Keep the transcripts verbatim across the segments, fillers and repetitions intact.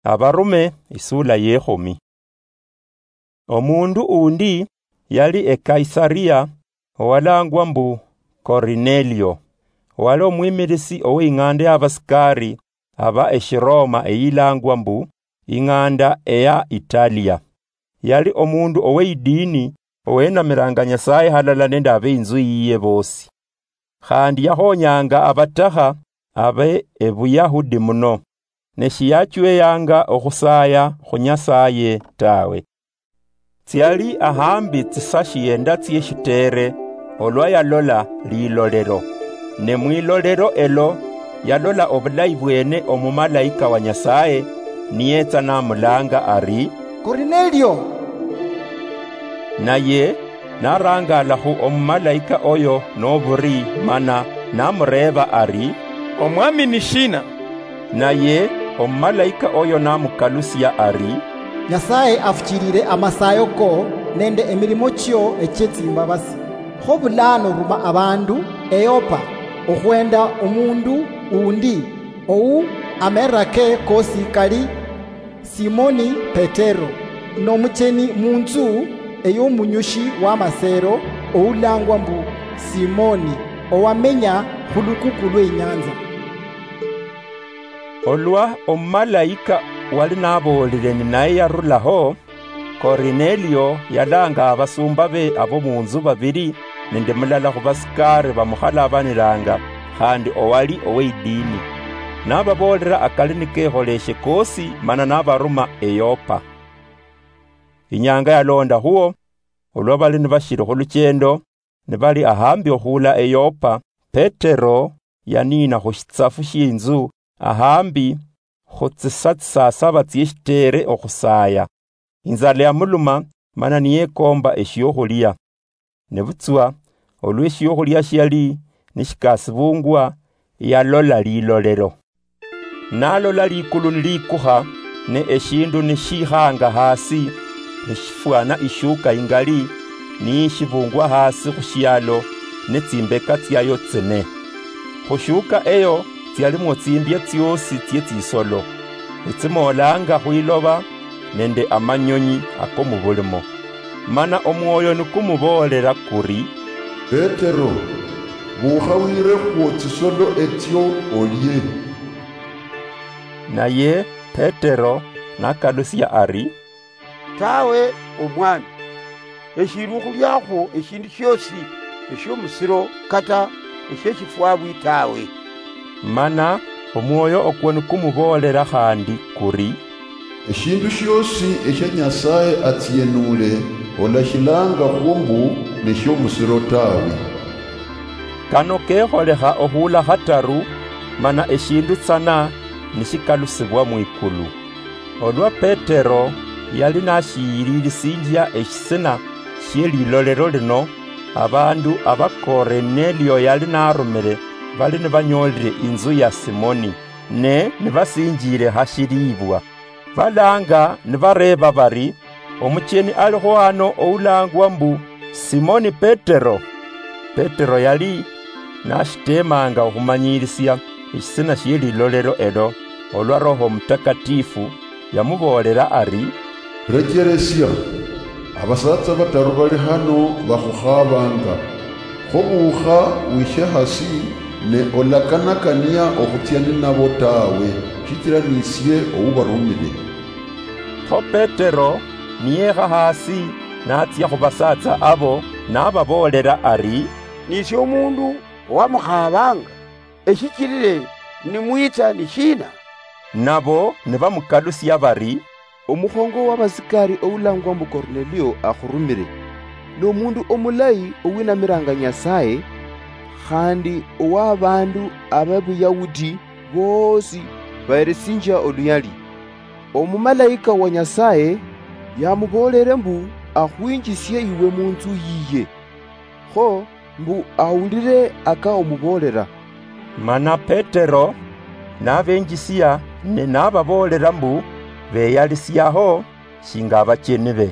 Abarume, isula yekhumi. Omundu undi yali e Kaisaria, owalangwa mbu Korinelio, owali omwimilisi ow'ing'anda y'abasikari aba Eshiroma eyilangwa mbu ing'anda eya Italia. Yali omundu ow'eidini, owenamiranga Nyasaye halala nende abeinzu yiye bosi. Khandi yakhonyanga abatakha abe Ebuyahudi muno, ne shiyachweyanga okhusaya khu Nyasaye tawe. Tsiali ahambi tsisa shienda tsieshitere olwa yalola lilolero. Ne mwilolero elo yalola obulayi bwene omumalaika wa Nyasaye niyetsa namulanga ari, "Korinelio!" Naye narangala khu omumalaika oyo noburi mana namureeba ari, "Omwami ni shina?" Naye omumalaika oyo namukalusia ari, "Nyasaye afuchilile amasayo ko nende emilimo chio echie tsimbabasi. Kho bulano ruma abandu eYopa okhwenda omundu undi ou amerake kosi kali Simoni Petero, nomucheni munzu ey'omunyushi w'amasero oulangwa mbu Simoni, owamenya khulukuku lw'inyanza." Olwa omumalaika wali naboolile ninaye yarulaho, Korinelio yalanga abasumba be abo munzu babili nende mulala khubasikari bamukhalabanilanga, khandi owali ow'eidini. Nababoolera akali nikekholeshe kosi mana nabaruma eYopa. Inyanga yalonda khuo, olwa bali nibashili khuluchendo, nibali ahambi okhuula eYopa, Petero yaniina khushitsafu shienzu ahambi khutsisa tsisasaba tsieshitere okhusaya. Inzala yamuluma, mana niyekomba eshiokhulia. Nebutswa olwa eshiokhulia shiali nishikasibungwa, yalola lilolero. Nalola likulu nilikukha, ne eshindu nishikhanga hasi, nishifwana ishuka ingali, nishibungwa hasi khushialo, netsimbeka tsiayo tsine. Khushuka eyo tsialimwo tsimbia tsiosi tsie tsisolo, netsimoolanga khwiloba nende amanyonyi ako mubulimo. Mana omwoyo nikumuboolera kuri, "Petero, bukha wirekhwo tsisolo etsio olie." Naye Petero nakalusia ari, "Tawe, Omwami, eshili okhuliakhwo eshindu shiosi eshiomusiro kata esheshifwabwi tawe." Mana omwoyo okwo nikumuboolera khandi kuri, "Eshindu shiosi eshia Nyasaye atsienule, olashilanga khwo mbu neshiomusiro tawe." Kano kekholekha okhula khataru, mana eshindu tsana nishikalusibwa mwikulu. Olwa Petero yali nashiyililisinjia eshisina shie lilolero lino, abandu aba Korinelio yali narumire bali nibanyolile inzu ya Simoni, ne nibasinjile hashilibwa. Balanga nibareeba bari, "Omucheni aliho hano oulangwa mbu Simoni Petero?" Petero yali nashitemanga okhumanyilisia eshisina shie lilolero elo, olwa Roho Omutakatifu yamuboolera ari, "Recheresia, abasaatsa bataru bali hano bakhukhabanga. Kho bukha wishe hasi, ne olakanakania okhutsia ninabo tawe, shichira nisie oubarumile." Kho Petero niyekha hasi, natsia khubasaatsa abo, nababoolera ari, "Nisie omundu owamukhabanga, eshichilile nimwitsa ni shina?" Nabo nibamukalusia bari, "Omukhongo w'abasikari oulangwa mbu Kornelio akhurumire. N'omundu omulayi owinamiranga Nyasaye, khandi ow'abandu ab'Abayahudi boosi baheresinjia oluyali. Omumalaika wa Nyasaye yamuboolere mbu akhwinjisie iwe munzu yiye. Kho mbu awulire aka omuboolera." Mana Petero nabenjisia ne nababoolera mbu beyalisiaho shinga abacheni be.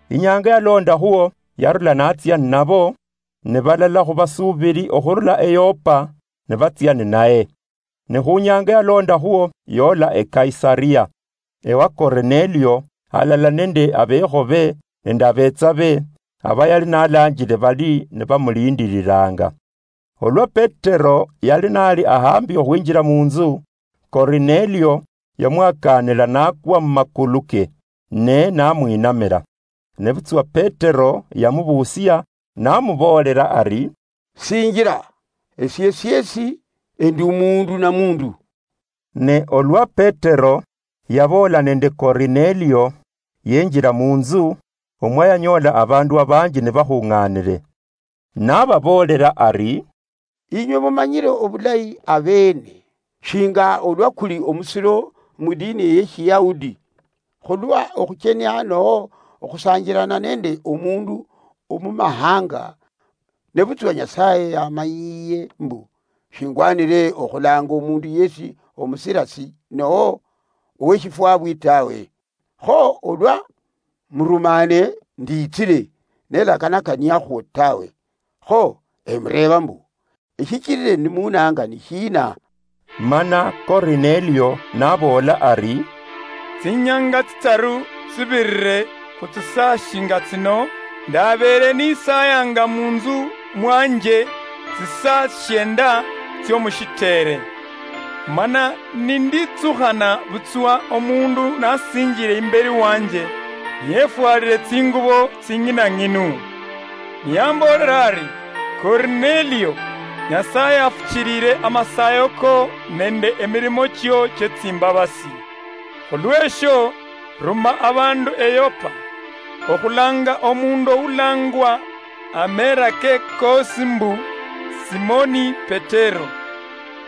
Inyanga yalonda khuo yarula natsia ninabo, ne balala khubasubiri okhurula eYopa nibatsia ninaye. Ne khunyanga yalonda khuo yola eKaisaria. ewa Kornelio, halala nende abekhobe nende abetsabe, aba yali nalanjile bali nibamulindiriranga. Olwa Petero yali nali ahambi okhwinjila munzu, Kornelio yamwakanila nakwa mumakulu ke, ne namwinamila. Nebutswa Petero yamubusia, namuboolera ari, "Sinjila, esie siesi endi umundu na mundu." Ne olwa Petero yaboola nende Kornelio, yenjila munzu, omwa yanyoola abandu abanji nibakhung'anile. Nababoolera ari, "Inywe mumanyire obulayi abeene, shinga olwa kuli omusiro mu dini ye Shiyahudi, khulwa okhuchenia noho okhusanjirana nende omundu omumahanga, nebutswa Nyasaye yamanyiye mbu shingwanire okhulanga omundu yesi omusirasi noho oweshifwabwi tawe. Kho olwa murumane nditsile nelakanakaniakhwo tawe. Kho emureeba mbu, 'Eshichilile nimunanga ni shina?'" Mana Kornelio naboola ari, "Tsinyanga tsitaru tsibirire khu tsisaa shinga tsino, ndabeele nisayanga munzu mwanje tsisaa shienda tsiomushiteere. Mana ninditsukhana butswa omundu nasinjile imbeli wanje, niyefwalile tsingubo tsing'inang'inu. Niyamboolera ari, 'Kornelio, Nyasaye afuchilile amasayo ko nende emilimo chio chie tsimbabasi. Khulwesho, ruma abandu e Yopa, okhulanga omundu oulangwa amera ke koosi mbu Simoni Petero,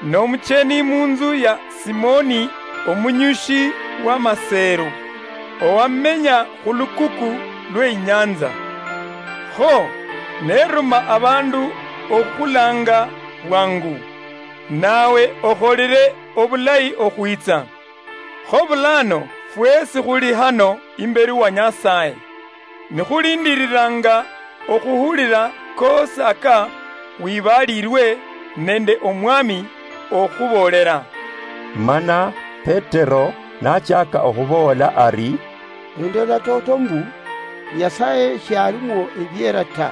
nomucheni munzu ya Simoni omunyushi wa maseru, owamenya khulukuku lwe inyanza. Kho neruma abandu okhulanga bwangu, nawe okholire obulayi okhwitsa. Kho bulano fwesi khuli hano imbeli wa Nyasaye, nikhulindiriranga okhuhulira koosi aka wibalirwe nende Omwami okhuboolera.'" Mana Petero nachaka okhuboola ari, "Endola toto mbu Nyasaye shialimwo ebiera ta.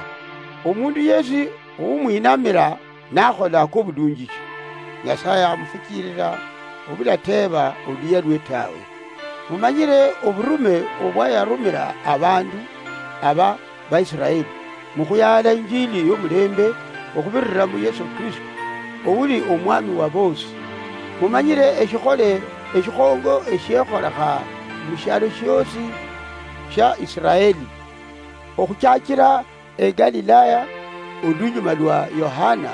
Omundu yesi oumwinamira nakhola akobulunjishi, Nyasaye amufuchilila obulateeba oluyia lwe tawe. Mumanyire oburume obwayarumira abandu aba Baisiraeli mukhuyaala injili yomulembe okhubirira mu Yesu Kristo, ouli Omwami wa boosi. Mumanyire eshikhole eshikhongo eshiekholekha mushialo shiosi shia Isiraeli, okhuchachira e Galilaya, olunyuma lwa Yohana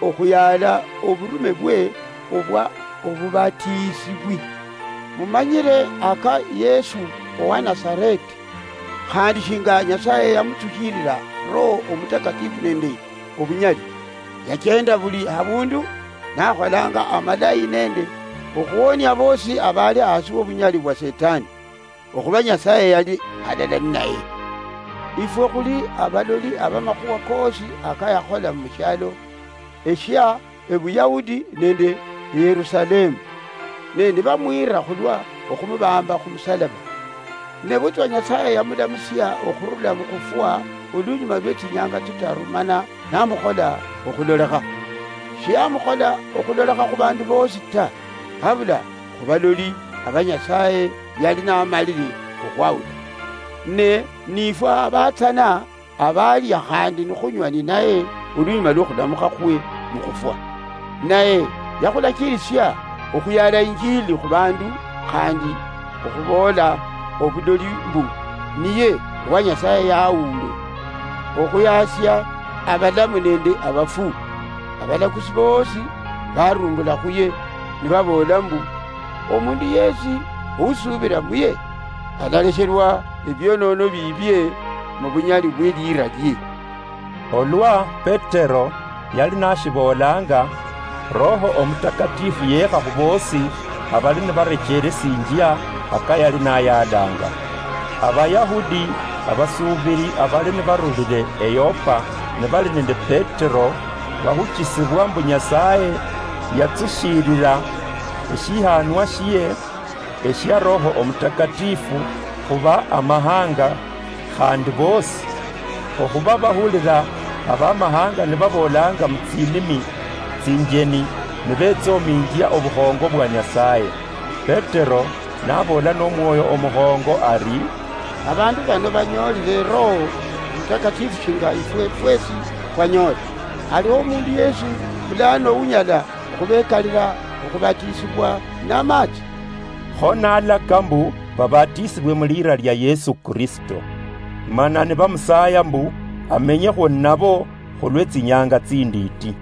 okhuyaala oburume bwe obwa obubatiisibwi. Mumanyire aka Yesu owa Nasareti, khandi shinga Nyasaye yamutsushilila Roho Omutakatifu nende obunyali. Yachenda buli habundu nakholanga amalayi nende okhuwonia boosi abali hasi wobunyali bwa Setani, okhuba Nyasaye yali halala ninaye. Ifwe khuli abaloli abamakhuwa koosi akayakhola mushialo eshia Ebuyahudi nende Yerusalemu, ne nibamwira khulwa okhumubamba khumusalaba. Nebutswa Nyasaye yamulamusia okhurula mukhufwa olunyuma lwe tsinyanga tsitaru mana namukhola okhulolekha. Shiyamukhola okhulolekha khubandu boosi ta, habula khubaloli aba Nyasaye yali namalile okhwawula. Ne nifwe abatsana abalya khandi nikhunywa ninaye olunyuma lwokhulamukhakwe mukhufwa. Naye yakhulachirisia okhuyala injili khubandu khandi okhuboola obuloli mbu niye owa Nyasaye yawule okhuyasia abalamu nende abafu. Abalakusi boosi barumbula khuye nibaboola mbu, omundu yesi ousubira muye alalesherwa ebionono biibie mubunyali bweliira lie. Olwa Petero yali nashiboolanga, Roho Omutakatifu yeekha khuboosi abali nibarecheresinjia aka yali nayaalanga. Abayahudi abasuubiri abali nibarulile e Yopa nibali nende Petero, bahuchisibwa mbu Nyasaye yatsushiilila eshihanwa shie, eshia Roho Omutakatifu khuba amahanga, khandi bosi, okhuba bahulira abamahanga nibaboolanga mutsinimi tsinjeni, nibetsoominjia obukhongo bwa Nyasaye. Petero naboola nomwoyo omukhongo ari, "Abandu bano banyoolire Roho Omutakatifu shinga ifwe fwesi khwanyoole. Aliho omundu yesi bulano unyala okhubekalira okhubatisibwa namaatsi?" Kho nalaka mbu babatisibwe mu liira lia Yesu Kristo. Mana nibamusaaya mbu amenyekhwo nabo khulwe tsinyanga tsindiiti.